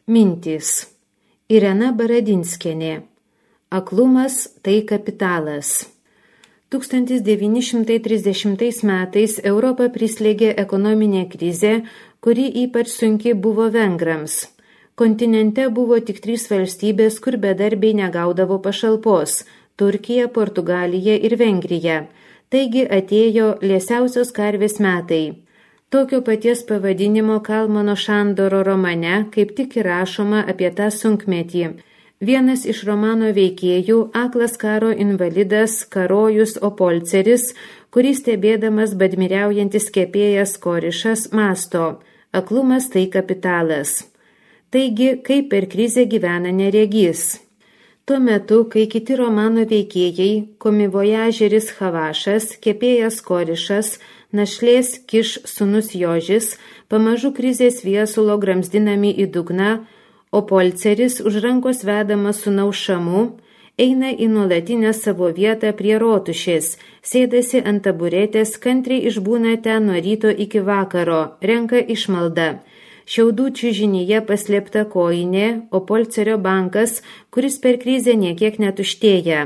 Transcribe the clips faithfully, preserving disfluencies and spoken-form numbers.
Mintys. Irena Baradinskienė. Aklumas tai kapitalas. tūkstantis devyni šimtai trisdešimtais metais Europą prislėgė ekonominė krizė, kuri ypač sunki buvo vengrams. Kontinente buvo tik trys valstybės, kur bedarbiai negaudavo pašalpos – Turkija, Portugalija ir Vengrija. Taigi atėjo liesiausios karvės metai. Tokio paties pavadinimo Kalmano Šandoro romane kaip tik įrašoma apie tą sunkmetį. Vienas iš romano veikėjų, aklas karo invalidas Karojus Opolceris, kurį stebėdamas badmiriaujantis kepėjas Korišas mąsto: aklumas tai kapitalas. Taigi, kaip per krizę gyvena neregys. Tuo metu, kai kiti romano veikėjai, komivojažeris Havašas, kepėjas Korišas, našlės Kiš sūnus Jožis, pamažu krizės viesulo gramzdinami į dugną, o Polceris už rankos vedamas sūnaus Šamu eina į nuolatinę savo vietą prie rotušės, sėdasi ant taburetės, kantriai išbūna ten nuo ryto iki vakaro, renka išmaldą. Šiaudų čiužinyje paslėpta kojinė, o Polcerio bankas, kuris per krizę niekiek netuštėja.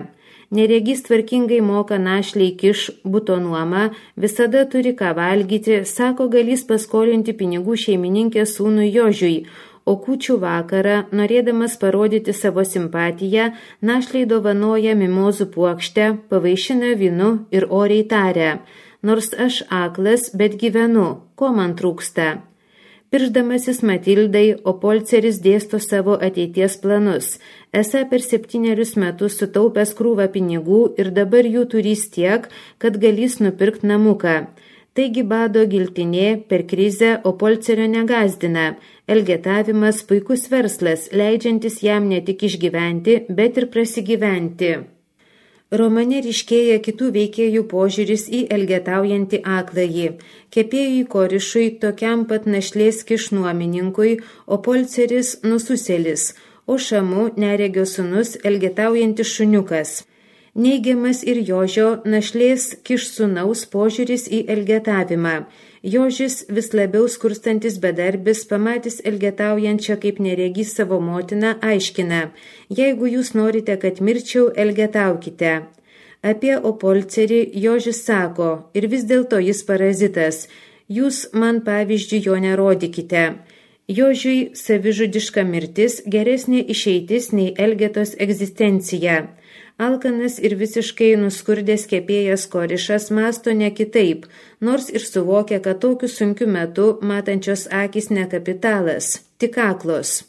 Neregys tvarkingai moka našliai Kiš buto nuomą, visada turi ką valgyti, sako galys paskolinti pinigų šeimininkės sūnui Jožiui, o kūčių vakarą, norėdamas parodyti savo simpatiją, našliai dovanoja mimozų puokštę, pavaišina vynu ir oriai taria: nors aš aklas, bet gyvenu, ko man trūksta? Piršdamasis Matildai, Opolceris dėsto savo ateities planus. Esą per septynerius metus sutaupęs krūvą pinigų ir dabar jų turys tiek, kad galės nupirkti namuką. Taigi bado giltinė per krizę Opolcerio negazdina. Elgetavimas puikus verslas, leidžiantis jam ne tik išgyventi, bet ir prasigyventi. Romane ryškėja kitų veikėjų požiūris į elgetaujantį akląjį. Kepėjui Korišui, tokiam pat našlės Kiš nuomininkui, Opolceris nususėlis, o Šamu neregio sūnus elgetaujantis šuniukas. Neigiamas ir Jožio našlės Kiš sūnaus požiūris į elgetavimą. Jožis, vis labiau skurstantis bedarbis, pamatys elgetaujančią kaip neregys savo motiną, aiškina: jeigu jūs norite, kad mirčiau, elgetaukite. Apie Opolcerį Jožis sako: ir vis dėlto jis parazitas, jūs man pavyzdžiui jo nerodykite. Jožiui savižudiška mirtis geresnė išeitis nei Elgetos egzistencija. Alkanas ir visiškai nuskurdęs kepėjas Korišas mąsto ne kitaip, nors ir suvokia, kad tokiu sunkiu metu matančios akis ne kapitalas, tik aklos.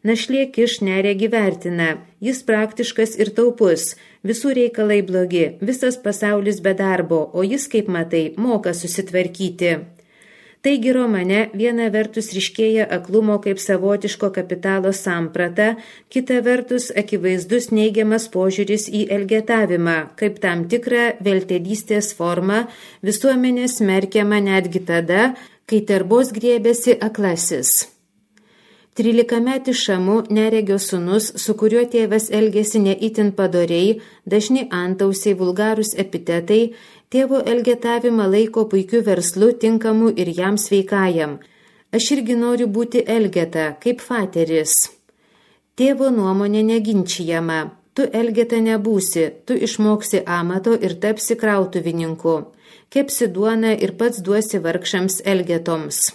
Našlė Kiš neregi vertina, jis praktiškas ir taupus, visų reikalai blogi, visas pasaulis be darbo, o jis, kaip matai, moka susitvarkyti. Taigi romane viena vertus ryškėja aklumo kaip savotiško kapitalo samprata, kita vertus akivaizdus neigiamas požiūris į elgetavimą, kaip tam tikrą veltėdystės formą, visuomenė smerkiama netgi tada, kai terbos griebėsi aklasis. Trylikametis Šamu neregio sūnus, su kuriuo tėvas elgėsi ne itin padoriai, dažni antausiai, vulgarūs epitetai, tėvo elgetavimą laiko puikiu verslu, tinkamu ir jam sveikajam. Aš irgi noriu būti elgeta, kaip fateris. Tėvo nuomonė neginčijama. Tu elgeta nebūsi, tu išmoksi amato ir tapsi krautuvininku. Kepsi duoną ir pats duosi vargšams elgetoms.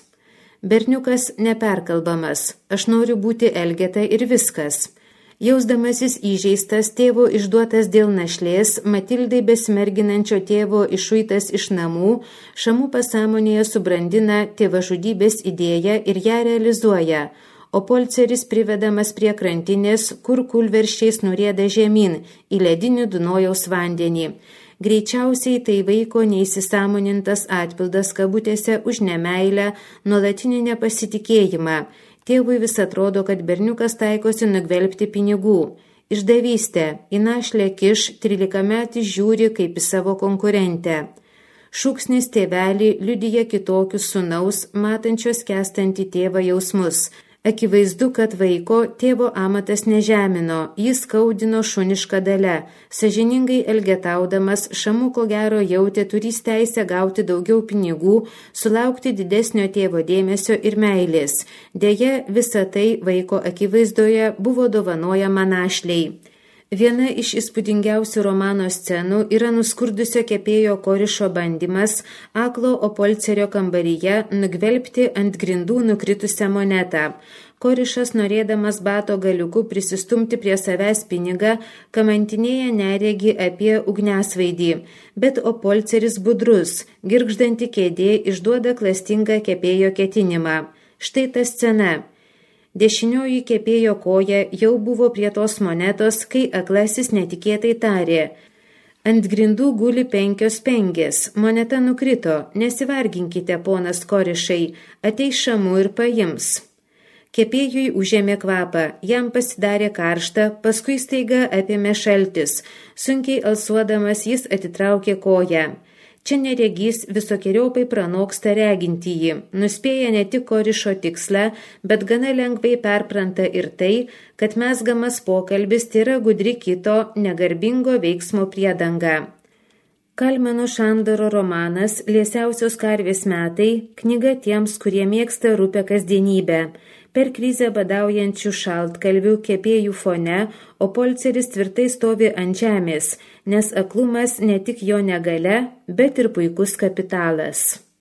Berniukas neperkalbamas. Aš noriu būti elgeta ir viskas. Jausdamasis įžeistas, tėvo išduotas dėl našlės, Matildai besimerginančio tėvo išuitas iš namų, Šamu pasąmonėje subrandina tėvažudybės idėją ir ją realizuoja, o Polceris privedamas prie krantinės, kur kulverščiais nurieda žemyn į ledinį Dunojaus vandenį. Greičiausiai tai vaiko neįsisąmonintas atpildas kabutėse už nemeilę, nuolatinį nepasitikėjimą. Tėvui vis atrodo, kad berniukas taikosi nugvelbti pinigų. Išdavystė, į našlę Kiš trylikametis žiūri kaip į savo konkurentę. Šūksnis tėvelį liudija kitokius sūnaus, matančios kestantį tėvą jausmus. Akivaizdu, kad vaiko tėvo amatas nežemino, jis skaudino šunišką dalę. Sąžiningai elgetaudamas, Šamu ko gero jautė turys teisę gauti daugiau pinigų, sulaukti didesnio tėvo dėmesio ir meilės. Deja, visa tai vaiko akivaizdoje buvo dovanojama našliai. Viena iš įspūdingiausių romano scenų yra nuskurdusio kepėjo Korišo bandymas aklo Opolcerio kambaryje nugvelbti ant grindų nukritusią monetą. Korišas, norėdamas bato galiuku prisistumti prie savęs pinigą, kamantinėja neregį apie ugniasvaidį, bet Opolceris budrus, girgždanti kėdė išduoda klastingą kepėjo ketinimą. Štai ta scena. Dešinioji kepėjo koja jau buvo prie tos monetos, kai aklasis netikėtai tarė: ant grindų guli penkios pengės, moneta nukrito, nesivarginkite, ponas Korišai, ateis Šamu ir paims. Kepėjui užėmė kvapą, jam pasidarė karšta, paskui staiga apėmė šaltis, sunkiai alsuodamas jis atitraukė koją. Čia neregys visokiojopai pranoksta regintįjį, nuspėja ne tik Korišo tikslą, bet gana lengvai perpranta ir tai, kad mezgamas pokalbis yra gudri kito negarbingo veiksmo priedanga. Kalmano Šandoro romanas Liesiausios karvės metai – knyga tiems, kurie mėgsta rupę kasdienybę. Per krizę badaujančių šaltkalvių kepėjų fone Opolceris tvirtai stovi ant žemės, nes aklumas ne tik jo negalia, bet ir puikus kapitalas.